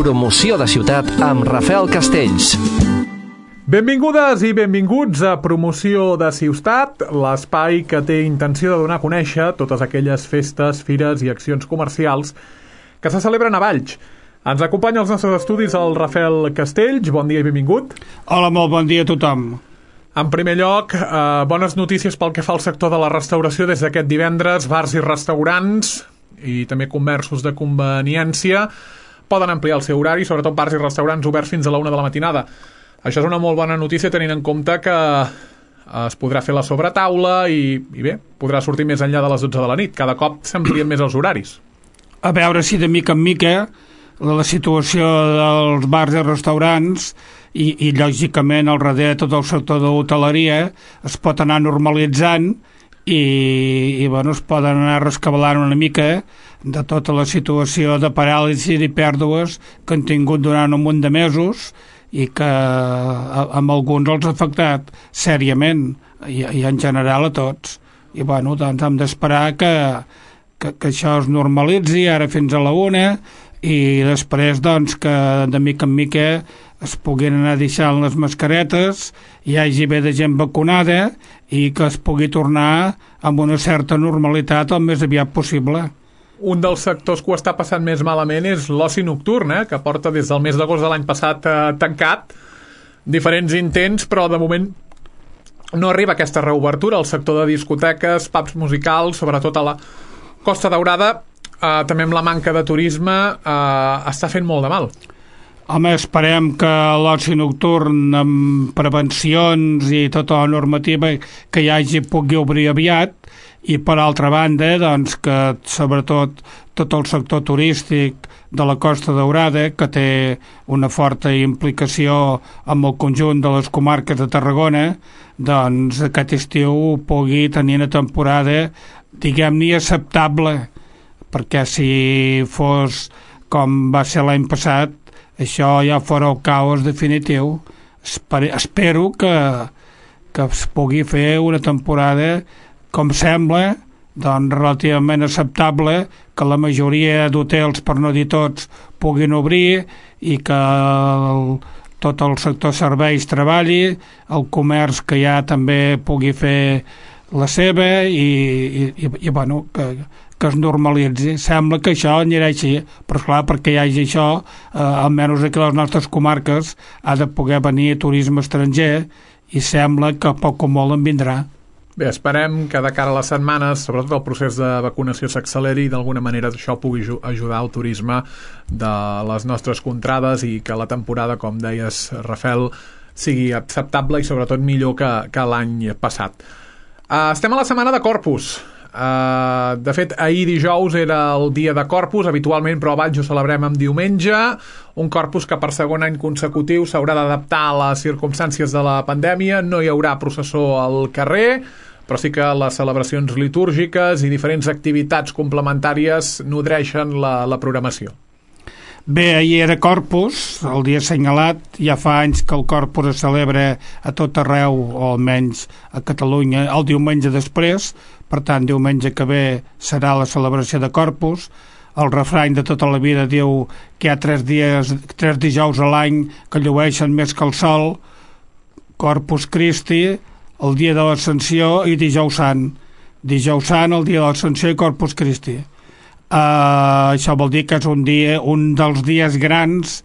Promoció de ciutat amb Rafael Castells. Benvingudes i benvinguts a Promoció de Ciutat, l'espai que té intenció de donar a conèixer totes aquelles festes, fires i accions comercials que se celebren a Valls. Ens acompanya als nostres estudis el Rafael Castells. Bon dia i benvingut. Hola, molt bon dia a tothom. En primer lloc, bones notícies pel que fa al sector de la restauració. Des d'aquest divendres, bars i restaurants i també comerços de conveniència poden ampliar el seu horari, sobretot bars i restaurants oberts fins a la 1 de la matinada. Això és una molt bona notícia tenint en compte que es podrà fer la sobretaula i bé, podrà sortir més enllà de les 12 de la nit. Cada cop s'amplien més els horaris. A veure si de mica en mica la situació dels bars i restaurants i lògicament al darrere tot el sector de l'hoteleria es pot anar normalitzant i bueno, es poden anar rescabalant una mica de tota la situació de paràlisi i pèrdues que han tingut durant un munt de mesos i que amb alguns els ha afectat sèriament i en general a tots. I bueno, doncs hem d'esperar que això es normalitzi ara fins a la 1 i després doncs que de mica en mica es puguin anar deixant les mascaretes, hi hagi bé de gent vacunada i que es pugui tornar amb una certa normalitat el més aviat possible. Un dels sectors que ho està passant més malament és l'oci nocturn, que porta des del mes d'agost de l'any passat tancat, diferents intents, però de moment no arriba aquesta reobertura. El sector de discoteques, pubs musicals, sobretot a la Costa Daurada, també amb la manca de turisme, està fent molt de mal. Home, esperem que l'oci nocturn amb prevencions i tota la normativa que hi hagi pugui obrir aviat i per altra banda doncs que sobretot tot el sector turístic de la Costa Daurada, que té una forta implicació amb el conjunt de les comarques de Tarragona, doncs aquest estiu pugui tenir una temporada diguem-ne acceptable, perquè si fos com va ser l'any passat això ja fora el caos definitiu. Espero que es pugui fer una temporada com sembla, doncs relativament acceptable, que la majoria d'hotels, per no dir tots, puguin obrir i que tot el sector serveis treballi, el comerç que ja també pugui fer la seva i bueno, que es normalitzi. Sembla que això anirà així, però esclar, perquè hi hagi això, almenys aquí a les nostres comarques ha de poder venir turisme estranger i sembla que poc o molt en vindrà. Bé, esperem que de cara a les setmanes, sobretot el procés de vacunació s'acceleri i d'alguna manera això pugui ajudar al turisme de les nostres contrades i que la temporada, com deies, Rafael, sigui acceptable i sobretot millor que l'any passat. Estem a la setmana de Corpus. De fet, ahir dijous era el dia de Corpus, habitualment, però a Valls ho celebrem en diumenge, un Corpus que per segon any consecutiu s'haurà d'adaptar a les circumstàncies de la pandèmia. No hi haurà processó al carrer, però sí que les celebracions litúrgiques i diferents activitats complementàries nodreixen la programació. Bé, ahir era Corpus, el dia assenyalat. Ja fa anys que el Corpus es celebra a tot arreu, o almenys a Catalunya, el diumenge després. Per tant, diumenge que ve serà la celebració de Corpus. El refrany de tota la vida diu que hi ha 3 dijous a l'any que llueixen més que el sol: Corpus Christi, el dia de l'Ascensió, i Dijous Sant. Dijous Sant, el dia de l'Ascensió, i Corpus Christi. Això vol dir que és un dels dies grans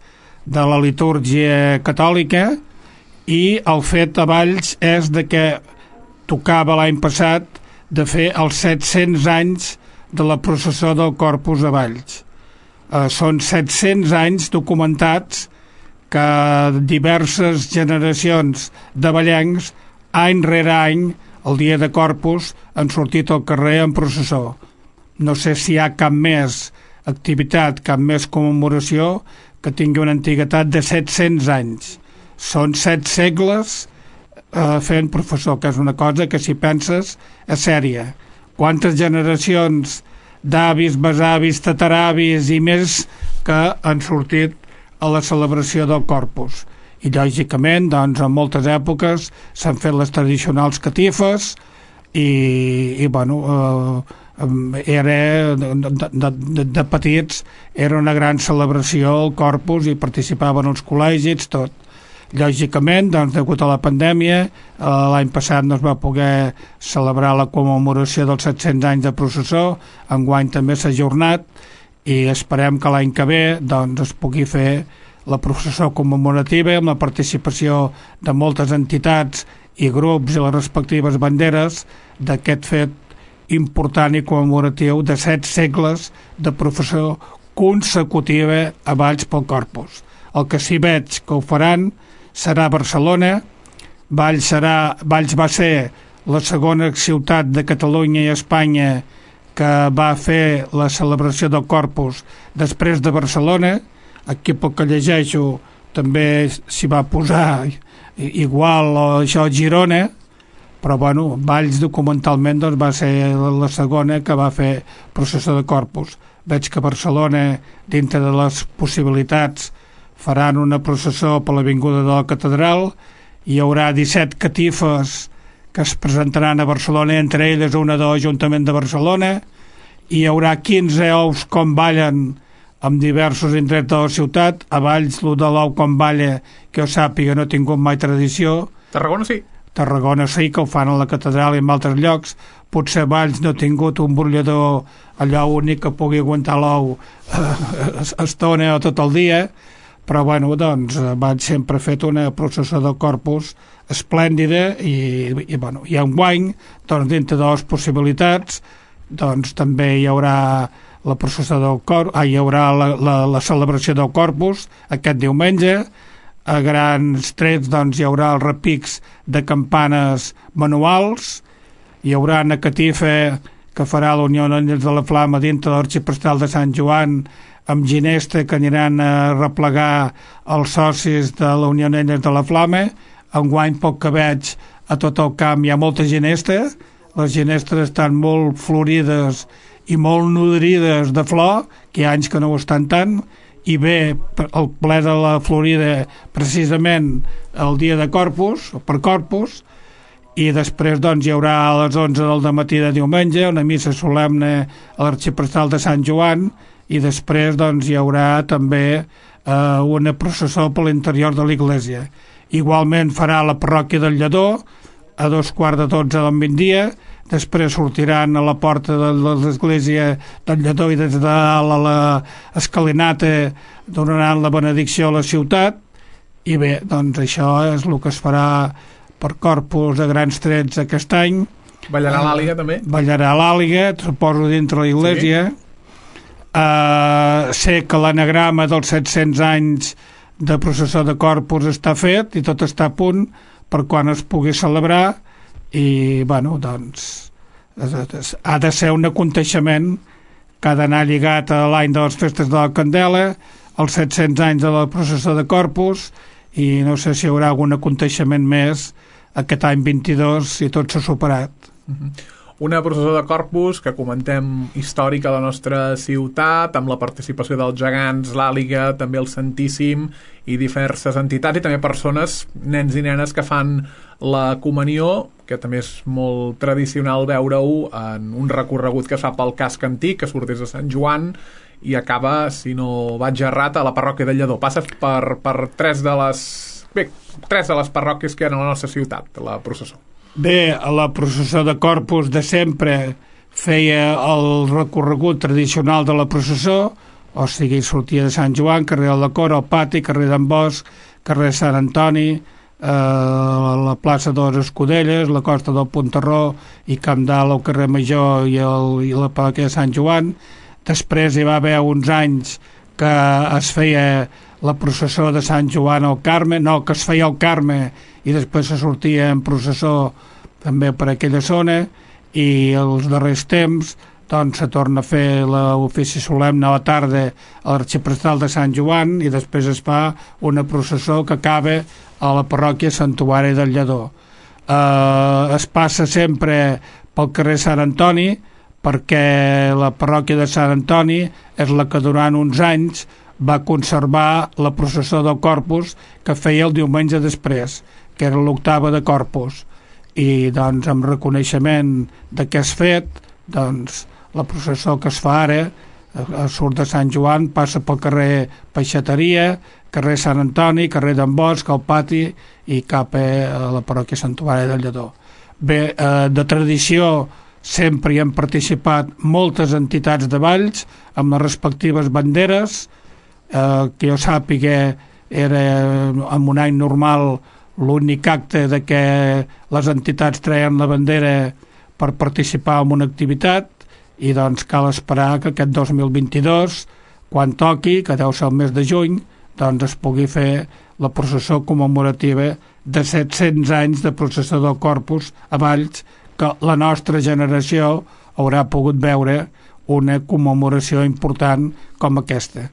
de la litúrgia catòlica, i el fet a Valls és de que tocava l'any passat de fer els 700 anys de la processó del Corpus a Valls. Són 700 anys documentats que diverses generacions de vallencs, any rere any, el dia de Corpus, han sortit al carrer en processó. No sé si hi ha cap més activitat, cap més commemoració que tingui una antiguitat de 700 anys. Són 7 segles fent professor, que és una cosa que si penses és sèria. Quantes generacions d'avis, besavis, tataravis i més que han sortit a la celebració del Corpus. I lògicament, doncs, en moltes èpoques s'han fet les tradicionals catifes i bueno, de petits era una gran celebració el Corpus i participaven els col·legis, tot. Lògicament, doncs, degut a la pandèmia, l'any passat no es va poder celebrar la commemoració dels 700 anys de processó, enguany també s'ha ajornat i esperem que l'any que ve doncs, es pugui fer la processó commemorativa amb la participació de moltes entitats i grups i les respectives banderes d'aquest fet important i commemoratiu de 7 segles de processó consecutiva a Valls pel Corpus. El que sí veig que ho faran serà Barcelona. Valls va ser la segona ciutat de Catalunya i Espanya que va fer la celebració del Corpus després de Barcelona. Aquí pel que llegeixo també s'hi va posar igual això a Girona, però bueno, Valls documentalment doncs, va ser la segona que va fer processó de Corpus. Veig que Barcelona, dintre de les possibilitats, faran una processó per l'avinguda de la Catedral. Hi haurà 17 catifes que es presentaran a Barcelona, entre elles una de l'Ajuntament de Barcelona. Hi haurà 15 ous com ballen amb diversos indrets de la ciutat. A Valls, el de l'ou com balla, que jo sàpiga, no ha tingut mai tradició. Tarragona sí. Tarragona sí, que ho fan a la Catedral i en altres llocs. Potser Valls no ha tingut un brollador allò únic que pugui aguantar l'ou estona o tot el dia, però bueno, doncs Valls sempre ha fet una processó del Corpus esplèndida i enguany, doncs dintre de les possibilitats, doncs també hi haurà la processó del Corpus, hi haurà la celebració del Corpus aquest diumenge. A grans trets doncs hi haurà els repics de campanes manuals, hi haurà una catifa que farà la Unió d'Àngels de la Flama dintre de l'Arxiprestal de Sant Joan amb ginesta que aniran a replegar els socis de la Unió d'Àngels de la Flama. Enguany, poc que veig, a tot el camp hi ha molta ginesta. Les ginestes estan molt florides i molt nodrides de flor, que hi ha anys que no ho estan tant, i ve el ple de la Florida precisament el dia de Corpus, o per Corpus, i després doncs hi haurà a les 11 del dematí de diumenge una missa solemne a l'Arxiprestal de Sant Joan, i després doncs hi haurà també una processó per l'interior de l'església. Igualment farà la parròquia del Lledó a 2:15 del migdia. Després sortiran a la porta de l'església del Lledó i des de dalt a l'escalinata donaran la benedicció a la ciutat. I bé, doncs això és el que es farà per Corpus a grans trets aquest any. Ballarà l'àliga també? Ballarà l'àliga, suposo dintre l'església. Sí. Sé que l'anagrama dels 700 anys de processó de Corpus està fet i tot està a punt per quan es pugui celebrar. I bueno, doncs ha de ser un aconteixement que ha d'anar lligat a l'any de les festes de la Candela, els 700 anys de la processó de Corpus, i no sé si hi haurà algun aconteixement més aquest any 22 si tot s'ha superat. Una processó de Corpus que comentem històrica a la nostra ciutat, amb la participació dels gegants, l'Àliga, també el Santíssim i diverses entitats i també persones, nens i nenes que fan la comunió, que també és molt tradicional veure-ho en un recorregut que es fa pel casc antic, que surt des de Sant Joan i acaba, si no vaig errat, a la parròquia del Lledó. Passes per tres de les parròquies que hi ha a la nostra ciutat, la processó. Bé, la processó de Corpus de sempre feia el recorregut tradicional de la processó, o sigui, sortia de Sant Joan, carrer de la Cora, el Pati, carrer d'en Bosch, carrer de Sant Antoni, la plaça de les Escudelles, la costa del Pontarró i Camp d'Alt, el carrer Major i la parròquia de Sant Joan. Després hi va haver uns anys que es feia la processó de Sant Joan al Carme, que es feia al Carme i després se sortia en processó també per aquella zona, i els darrers temps doncs se torna a fer l'ofici solemne a la tarda a l'Arxiprestal de Sant Joan i després es fa una processó que acaba a la parròquia Santuari del Lledó. Es passa sempre pel carrer Sant Antoni perquè la parròquia de Sant Antoni és la que durant uns anys va conservar la processó del Corpus que feia el diumenge després, que era l'octava de Corpus, i doncs amb reconeixement d'aquest fet doncs la processó que es fa ara surt de Sant Joan, passa pel carrer Peixateria, carrer Sant Antoni, carrer d'en Bosch, al pati i cap a la parròquia Santuari del Lledó. Bé, de tradició sempre hi han participat moltes entitats de Valls amb les respectives banderes, que jo sàpiga era en un any normal l'únic acte de que les entitats treien la bandera per participar en una activitat, i doncs cal esperar que aquest 2022, quan toqui, que deu ser el mes de juny, doncs es pugui fer la processó commemorativa de 700 anys de processó del Corpus a Valls, que la nostra generació haurà pogut veure una commemoració important com aquesta.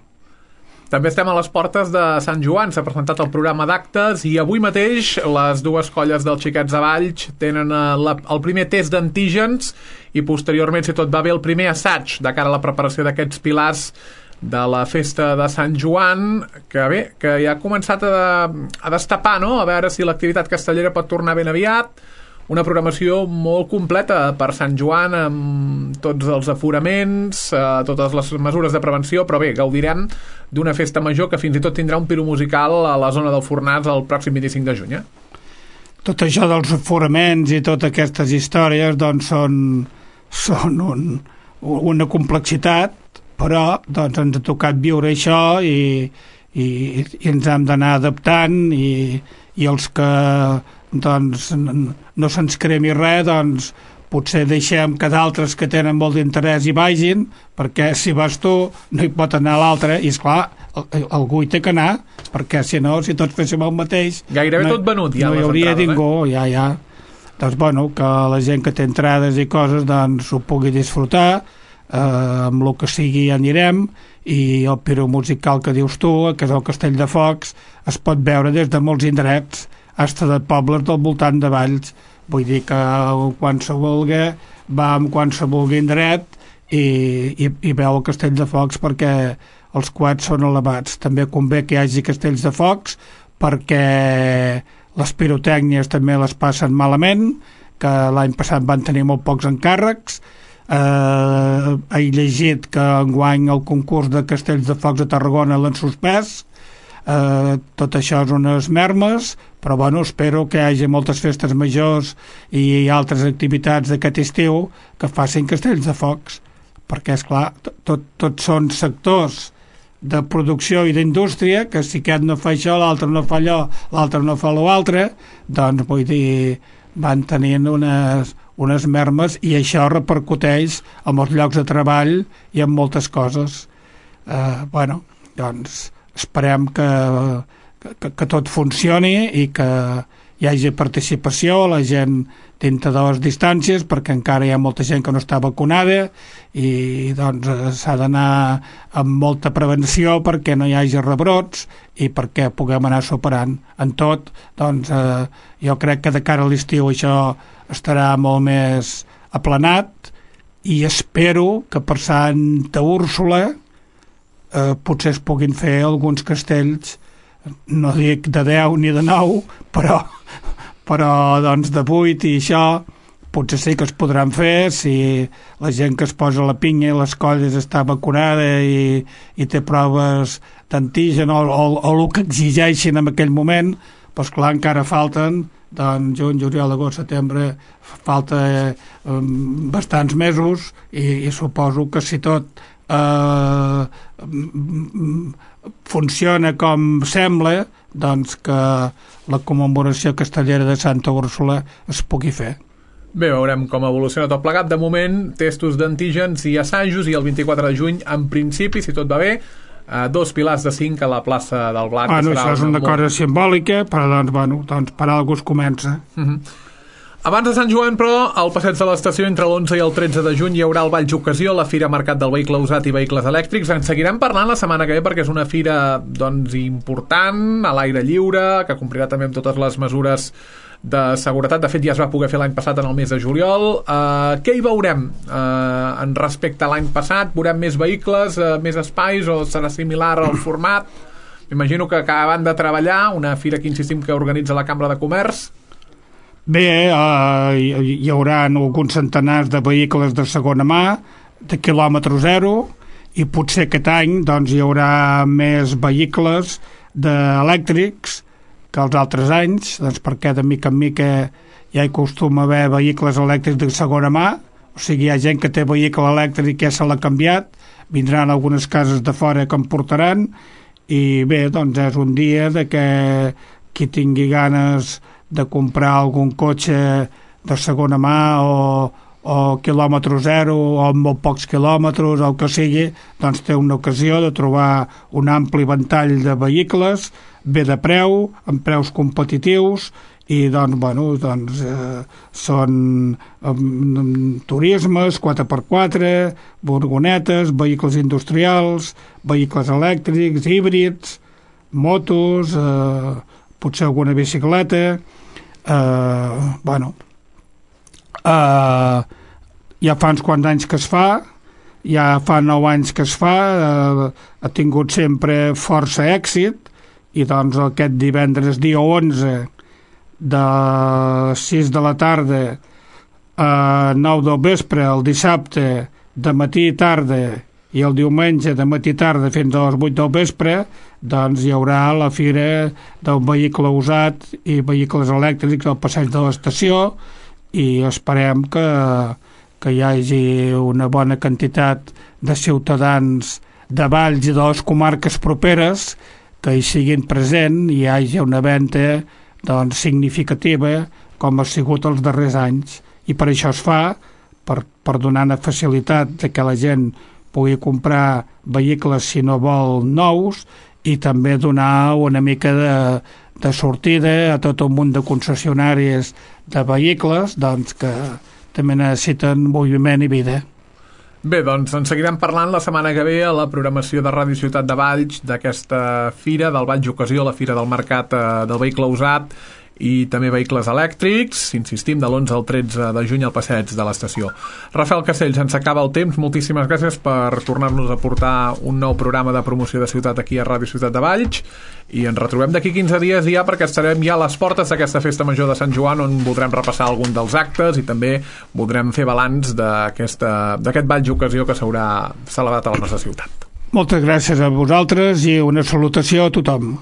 També estem a les portes de Sant Joan, s'ha presentat el programa d'actes i avui mateix les dues colles dels Xiquets de Valls tenen el primer test d'antígens i posteriorment, si tot va bé, el primer assaig de cara a la preparació d'aquests pilars de la festa de Sant Joan, que ja ha començat a destapar, no? A veure si l'activitat castellera pot tornar ben aviat. Una programació molt completa per Sant Joan, amb tots els aforaments, totes les mesures de prevenció, però bé, gaudirem d'una festa major que fins i tot tindrà un piro musical a la zona del Fornàs el pròxim 25 de juny. Tot això dels aforaments i totes aquestes històries doncs són una complexitat, però doncs ens ha tocat viure això i ens hem d'anar adaptant i els que doncs no se'ns cremi res, doncs potser deixem que d'altres que tenen molt d'interès hi vagin, perquè si vas tu no hi pot anar l'altre, i esclar, algú hi té que anar, perquè si no, si tots féssim el mateix gairebé tot venut ja, no hi hauria ningú, ja. Doncs bueno, que la gent que té entrades i coses doncs ho pugui disfrutar, amb el que sigui anirem, i el piro musical que dius tu, que és el Castell de Focs, es pot veure des de molts indrets, hasta de pobles del voltant de Valls. Vull dir que quan se vulgui va amb quan se vulgui indret i veu el Castell de Focs, perquè els coets són elevats. També convé que hi hagi castells de focs perquè les pirotècnies també les passen malament, que l'any passat van tenir molt pocs encàrrecs. He llegit que enguany el concurs de castells de focs a Tarragona l'han suspès. Tot això és unes mermes, però bueno, espero que hi hagi moltes festes majors i altres activitats d'aquest estiu que facin castells de focs, perquè esclar, tots són sectors de producció i d'indústria que si aquest no fa això, l'altre no fa allò, l'altre no fa l'altre, doncs vull dir, van tenint unes mermes, i això repercuteix en els llocs de treball i en moltes coses. Bueno, doncs esperem que tot funcioni i que hi hagi participació, la gent dintre de les distàncies, perquè encara hi ha molta gent que no està vacunada i doncs s'ha d'anar amb molta prevenció perquè no hi hagi rebrots i perquè puguem anar superant. En tot, doncs jo crec que de cara a l'estiu això estarà molt més aplanat, i espero que per Santa Úrsula potser es puguin fer alguns castells, no dic de 10 ni de 9, però doncs de 8 i això potser sí que es podran fer si la gent que es posa la pinya i les colles està vacunada i té proves d'antigen o el que exigeixin en aquell moment. Doncs clar, encara falten doncs juny, juliol, agost, setembre, falta bastants mesos, i suposo que si tot funciona com sembla, doncs que la commemoració castellera de Santa Úrsula es pugui fer. Bé, veurem com evoluciona tot plegat. De moment, testos d'antígens i assajos, i el 24 de juny, en principi, si tot va bé, 2 pilars de 5 a la plaça del Blat. Això és una cosa simbòlica, però doncs per alguna cosa comença. Abans de Sant Joan, però, al passeig de l'estació entre l'11 i el 13 de juny hi haurà el Valls Ocasió, la Fira Mercat del Vehicle Usat i Vehicles Elèctrics. En seguirem parlant la setmana que ve perquè és una fira doncs important, a l'aire lliure, que complirà també amb totes les mesures de seguretat. De fet, ja es va poder fer l'any passat en el mes de juliol. Què hi veurem en respecte a l'any passat? Veurem més vehicles, més espais, o serà similar al format? M'imagino que acaben de treballar, una fira que insistim que organitza la Cambra de Comerç. Bé, hi haurà alguns centenars de vehicles de segona mà, de quilòmetre zero, i potser aquest any doncs, hi haurà més vehicles elèctrics que els altres anys, doncs, perquè de mica en mica ja hi acostuma a haver vehicles elèctrics de segona mà, o sigui, hi ha gent que té vehicle elèctric que ja se l'ha canviat, vindran algunes cases de fora que en portaran, i bé, doncs és un dia de que qui tingui ganes de comprar algun cotxe de segona mà o quilòmetre zero o amb molt pocs quilòmetres o el que sigui, doncs té una ocasió de trobar un ampli ventall de vehicles, bé de preu, amb preus competitius, i doncs, són turismes, 4x4, furgonetes, vehicles industrials, vehicles elèctrics, híbrids, motos, potser alguna bicicleta, ja fa uns quants anys que es fa, ja fa 9 anys que es fa, ha tingut sempre força èxit, i doncs aquest divendres dia 11 de 6 de la tarda a 9 del vespre, el dissabte de matí i tarda, i el diumenge de matí i tarda fins a les 8 del vespre, doncs hi haurà la fira del vehicle usat i vehicles elèctrics al passeig de l'estació, i esperem que hi hagi una bona quantitat de ciutadans de Valls i de les comarques properes que hi siguin presents i hi hagi una venda doncs, significativa com ha sigut els darrers anys, i per això es fa, per donar una facilitat de que la gent pugui comprar vehicles si no vol nous, i també donar una mica de sortida a tot un munt de concessionàries de vehicles doncs, que també necessiten moviment i vida. Bé, doncs en seguirem parlant la setmana que ve a la programació de Ràdio Ciutat de Valls d'aquesta fira del Valls Ocasió, la fira del mercat del vehicle usat i també vehicles elèctrics, insistim, de l'11 al 13 de juny al passeig de l'estació. Rafael Castells, ens acaba el temps, moltíssimes gràcies per tornar-nos a portar un nou programa de promoció de ciutat aquí a Ràdio Ciutat de Valls, i ens retrobem d'aquí 15 dies ja, perquè estarem ja a les portes d'aquesta festa major de Sant Joan, on voldrem repassar algun dels actes i també voldrem fer balanç d'aquest Valls Ocasió que s'haurà celebrat a la nostra ciutat. Moltes gràcies a vosaltres i una salutació a tothom.